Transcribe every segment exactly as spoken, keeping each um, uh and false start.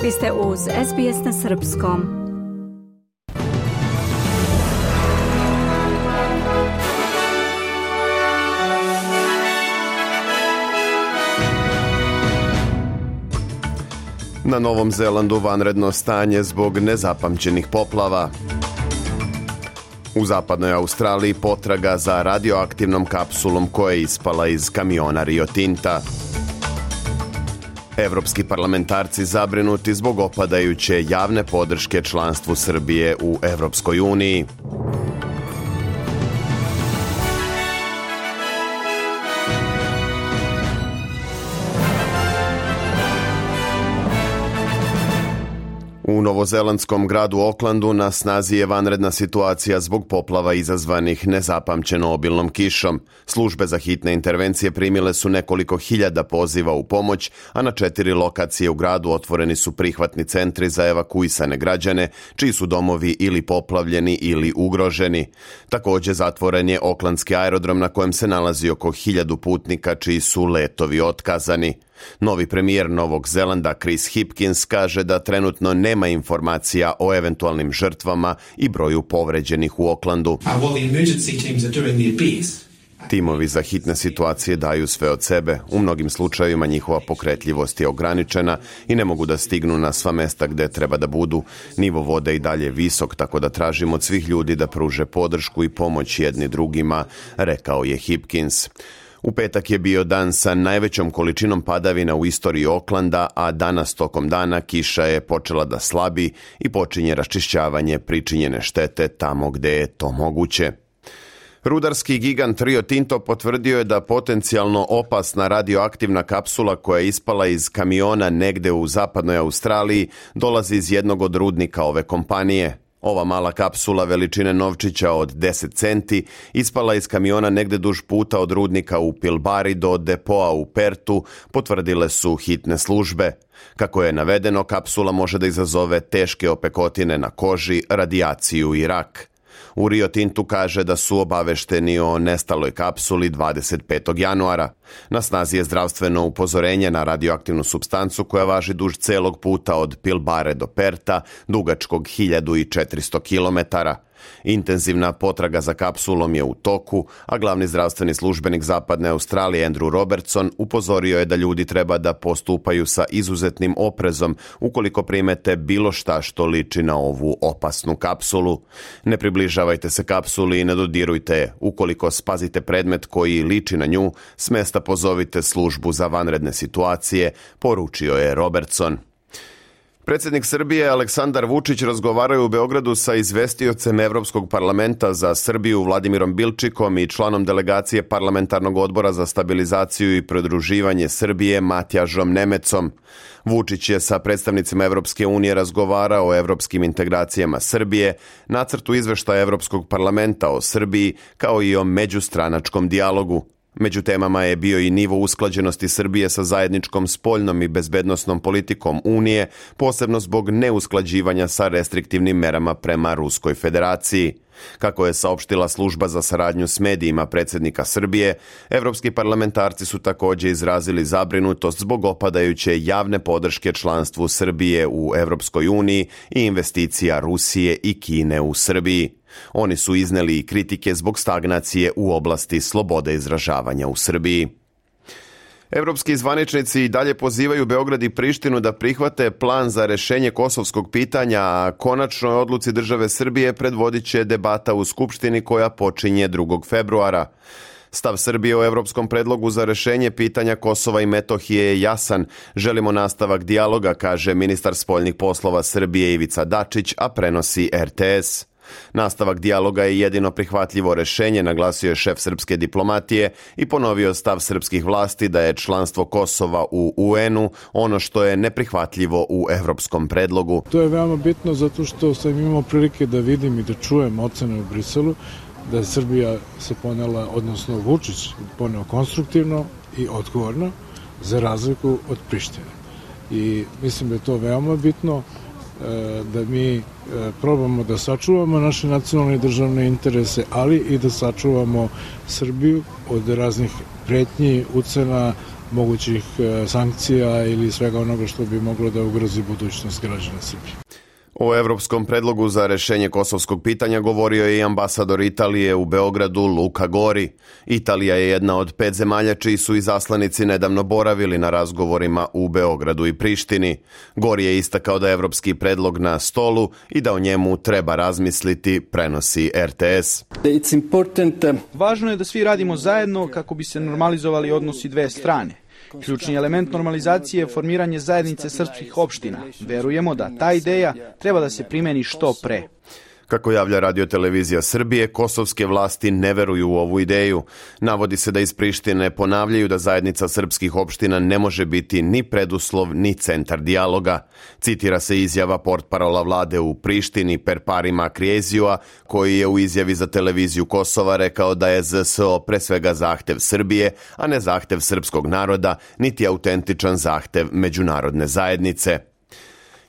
Vi ste uz S B S na srpskom. Na Novom Zelandu vanredno stanje zbog nezapamćenih poplava. U zapadnoj Australiji potraga za radioaktivnom kapsulom koja je ispala iz kamiona Rio Tinta. Evropski parlamentarci zabrinuti zbog opadajuće javne podrške članstvu Srbije u Evropskoj uniji. U novozelandskom gradu Aucklandu na snazi je vanredna situacija zbog poplava izazvanih nezapamćeno obilnom kišom. Službe za hitne intervencije primile su nekoliko hiljada poziva u pomoć, a na četiri lokacije u gradu otvoreni su prihvatni centri za evakuisane građane, čiji su domovi ili poplavljeni ili ugroženi. Također zatvoren je Aucklandski aerodrom na kojem se nalazi oko hiljadu putnika čiji su letovi otkazani. Novi premijer Novog Zelanda Chris Hipkins kaže da trenutno nema informacija o eventualnim žrtvama i broju povređenih u Aucklandu. Timovi za hitne situacije daju sve od sebe. U mnogim slučajevima njihova pokretljivost je ograničena i ne mogu da stignu na sva mesta gde treba da budu. Nivo vode i dalje visok, tako da tražimo od svih ljudi da pruže podršku i pomoć jedni drugima, rekao je Hipkins. U petak je bio dan sa najvećom količinom padavina u istoriji Aucklanda, a danas tokom dana kiša je počela da slabi i počinje raščišćavanje pričinjene štete tamo gde je to moguće. Rudarski gigant Rio Tinto potvrdio je da potencijalno opasna radioaktivna kapsula koja je ispala iz kamiona negde u zapadnoj Australiji dolazi iz jednog od rudnika ove kompanije. Ova mala kapsula veličine novčića od deset centi ispala iz kamiona negde duž puta od rudnika u Pilbari do depoa u Pertu, potvrdile su hitne službe. Kako je navedeno, kapsula može da izazove teške opekotine na koži, radijaciju i rak. U Rio Tintu kaže da su obavešteni o nestaloj kapsuli dvadeset petog januara. Na snazi je zdravstveno upozorenje na radioaktivnu supstancu koja važi duž celog puta od Pilbare do Perta, dugačkog hiljadu četiristo kilometara. Intenzivna potraga za kapsulom je u toku, a glavni zdravstveni službenik zapadne Australije Andrew Robertson upozorio je da ljudi treba da postupaju sa izuzetnim oprezom ukoliko primete bilo šta što liči na ovu opasnu kapsulu. Ne približavajte se kapsuli i ne dodirujte je. Ukoliko spazite predmet koji liči na nju, s mesta pozovite službu za vanredne situacije, poručio je Robertson. Predsjednik Srbije Aleksandar Vučić razgovarao u Beogradu sa izvestiocem Evropskog parlamenta za Srbiju Vladimirom Bilčikom i članom delegacije Parlamentarnog odbora za stabilizaciju i pridruživanje Srbije Matjažom Nemecom. Vučić je sa predstavnicima Evropske unije razgovarao o evropskim integracijama Srbije, nacrtu izveštaja Evropskog parlamenta o Srbiji, kao i o međustranačkom dijalogu. Među temama je bio i nivo usklađenosti Srbije sa zajedničkom spoljnom i bezbednosnom politikom Unije, posebno zbog neusklađivanja sa restriktivnim merama prema Ruskoj federaciji. Kako je saopštila služba za saradnju s medijima predsjednika Srbije, evropski parlamentarci su također izrazili zabrinutost zbog opadajuće javne podrške članstvu Srbije u Evropskoj uniji i investicija Rusije i Kine u Srbiji. Oni su izneli i kritike zbog stagnacije u oblasti slobode izražavanja u Srbiji. Evropski zvaničnici i dalje pozivaju Beograd i Prištinu da prihvate plan za rešenje kosovskog pitanja, a konačnoj odluci države Srbije predvodit će debata u Skupštini koja počinje drugog februara. Stav Srbije o evropskom predlogu za rešenje pitanja Kosova i Metohije je jasan. Želimo nastavak dijaloga, kaže ministar spoljnih poslova Srbije Ivica Dačić, a prenosi R T S. Nastavak dijaloga je jedino prihvatljivo rešenje, naglasio je šef srpske diplomatije i ponovio stav srpskih vlasti da je članstvo Kosova u U N-u ono što je neprihvatljivo u evropskom predlogu. To je veoma bitno zato što sam imao prilike da vidim i da čujem ocene u Briselu, da je Srbija se ponela, odnosno Vučić poneo konstruktivno i odgovorno za razliku od Prištine. I mislim da je to veoma bitno, da mi probamo da sačuvamo naše nacionalne i državne interese, ali i da sačuvamo Srbiju od raznih pretnji, ucena, mogućih sankcija ili svega onoga što bi moglo da ugrozi budućnost građana Srbije. O evropskom predlogu za rešenje kosovskog pitanja govorio je i ambasador Italije u Beogradu Luka Gori. Italija je jedna od pet zemalja čiji su izaslanici nedavno boravili na razgovorima u Beogradu i Prištini. Gori je istakao da je evropski predlog na stolu i da o njemu treba razmisliti, prenosi R T S. Važno je da svi radimo zajedno kako bi se normalizovali odnosi dve strane. Ključni element normalizacije je formiranje zajednice srpskih opština. Verujemo da ta ideja treba da se primeni što pre. Kako javlja Radio-televizija Srbije, kosovske vlasti ne veruju u ovu ideju. Navodi se da iz Prištine ponavljaju da zajednica srpskih opština ne može biti ni preduslov ni centar dijaloga. Citira se izjava portparola vlade u Prištini Perparima Kriezijua, koji je u izjavi za televiziju Kosova rekao da je Z S O pre svega zahtev Srbije, a ne zahtev srpskog naroda, niti autentičan zahtev međunarodne zajednice.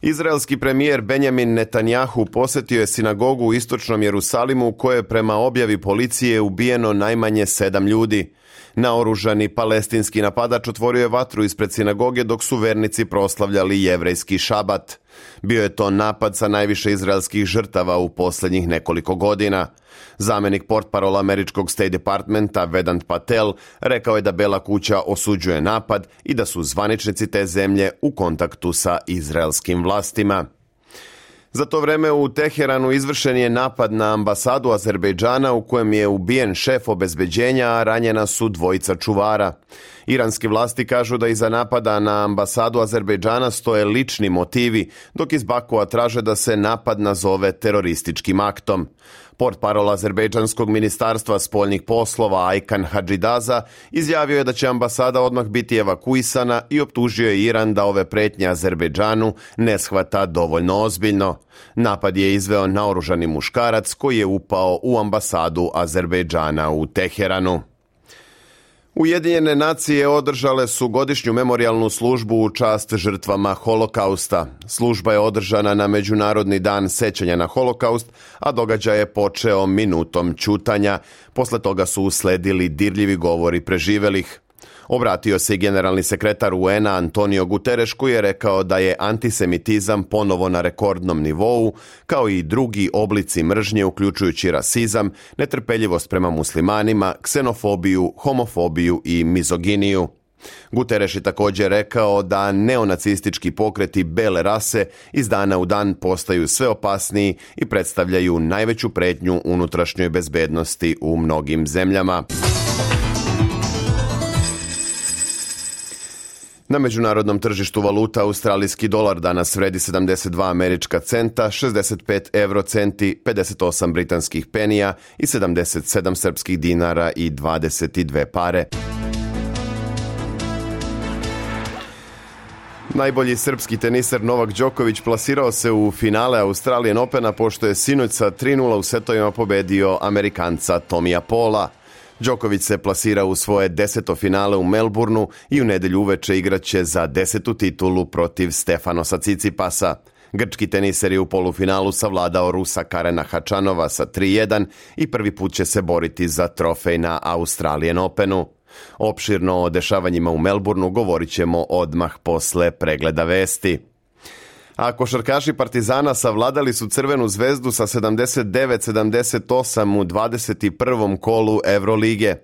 Izraelski premijer Benjamin Netanjahu posetio je sinagogu u istočnom Jerusalimu u kojoj je prema objavi policije ubijeno najmanje sedam ljudi. Naoružani palestinski napadač otvorio je vatru ispred sinagoge dok su vernici proslavljali jevrejski šabat. Bio je to napad sa najviše izraelskih žrtava u posljednjih nekoliko godina. Zamenik portparola američkog State Departmenta Vedant Patel rekao je da Bela kuća osuđuje napad i da su zvaničnici te zemlje u kontaktu sa izraelskim vlastima. Za to vreme u Teheranu izvršen je napad na ambasadu Azerbejdžana u kojem je ubijen šef obezbeđenja, a ranjena su dvojica čuvara. Iranske vlasti kažu da iza napada na ambasadu Azerbejdžana stoje lični motivi, dok iz Bakua traže da se napad nazove terorističkim aktom. Portparol azerbejdžanskog ministarstva spoljnih poslova Aykan Hadžidaza izjavio je da će ambasada odmah biti evakuisana i optužio je Iran da ove pretnje Azerbejdžanu ne shvata dovoljno ozbiljno. Napad je izveo naoružani muškarac koji je upao u ambasadu Azerbejdžana u Teheranu. Ujedinjene nacije održale su godišnju memorijalnu službu u čast žrtvama Holokausta. Služba je održana na Međunarodni dan sećanja na Holokaust, a događaj je počeo minutom ćutanja. Posle toga su usledili dirljivi govori preživelih. Obratio se i generalni sekretar U N A Antonio Guterres, koji je rekao da je antisemitizam ponovo na rekordnom nivou, kao i drugi oblici mržnje, uključujući rasizam, netrpeljivost prema muslimanima, ksenofobiju, homofobiju i mizoginiju. Guterres je također rekao da neonacistički pokreti bele rase iz dana u dan postaju sve opasniji i predstavljaju najveću pretnju unutrašnjoj bezbednosti u mnogim zemljama. Na međunarodnom tržištu valuta australijski dolar danas vredi sedamdeset dva američka centa, šezdeset pet euro centi, pedeset osam britanskih penija i sedamdeset sedam srpskih dinara i dvadeset dve pare. Najbolji srpski teniser Novak Đoković plasirao se u finale Australian Opena pošto je sinoć sa tri nula u setovima pobedio Amerikanca Tomija Paula. Đoković se plasira u svoje deseto finale u Melbourneu i u nedelju uveče igraće za desetu titulu protiv Stefanosa Cicipasa. Grčki teniser je u polufinalu savladao Rusa Karena Hačanova sa tri jedan i prvi put će se boriti za trofej na Australian Openu. Opširno o dešavanjima u Melbourneu govorit ćemo odmah posle pregleda vesti. A košarkaši Partizana savladali su Crvenu zvezdu sa sedamdeset devet sedamdeset osam u dvadeset prvom kolu Evrolige.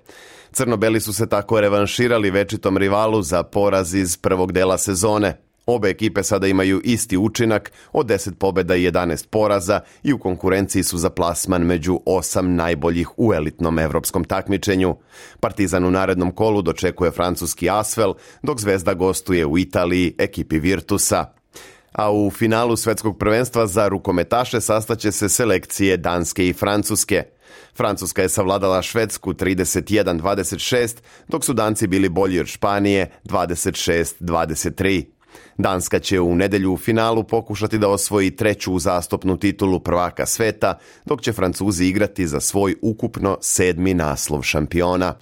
Crnobeli su se tako revanširali večitom rivalu za poraz iz prvog dela sezone. Obe ekipe sada imaju isti učinak od deset pobjeda i jedanaest poraza i u konkurenciji su za plasman među osam najboljih u elitnom evropskom takmičenju. Partizan u narednom kolu dočekuje francuski Asvel, dok Zvezda gostuje u Italiji ekipi Virtusa. A u finalu svetskog prvenstva za rukometaše sastaće se selekcije Danske i Francuske. Francuska je savladala Švedsku trideset jedan dvadeset šest, dok su Danci bili bolji od Španije dvadeset šest dvadeset tri. Danska će u nedelju u finalu pokušati da osvoji treću uzastopnu titulu prvaka sveta, dok će Francuzi igrati za svoj ukupno sedmi naslov šampiona.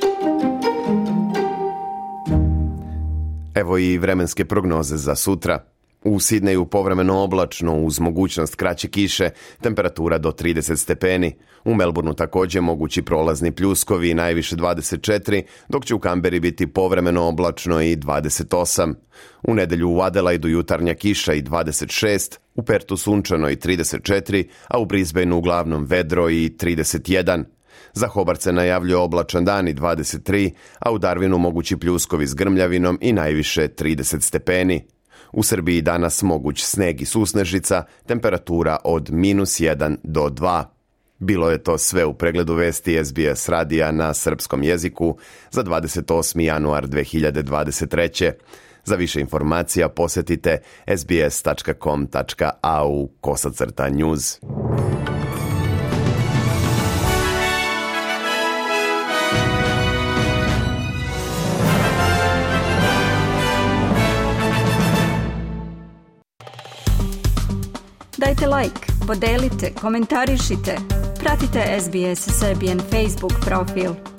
Evo i vremenske prognoze za sutra. U Sidneju povremeno oblačno uz mogućnost kraće kiše, temperatura do trideset stepeni. U Melbourneu također mogući prolazni pljuskovi, najviše dvadeset četiri, dok će u Kamberi biti povremeno oblačno i dvadeset osam. U nedjelju u Adelaidu jutarnja kiša i dvadeset šest, u Pertu sunčano i trideset četiri, a u Brisbaneu uglavnom vedro i trideset jedan. Za Hobart se najavljuje oblačan dan i dvadeset tri, a u Darwinu mogući pljuskovi s grmljavinom i najviše trideset stepeni. U Srbiji danas moguć sneg i susnežica, temperatura od minus jedan do dva. Bilo je to sve u pregledu vesti S B S radija na srpskom jeziku za dvadeset osmi januar dve hiljade dvadeset treće. Za više informacija posjetite sbs tačka com tačka a u kosacrta news. Dajte like, podelite, komentarišite. Pratite S B S Serbian Facebook profil.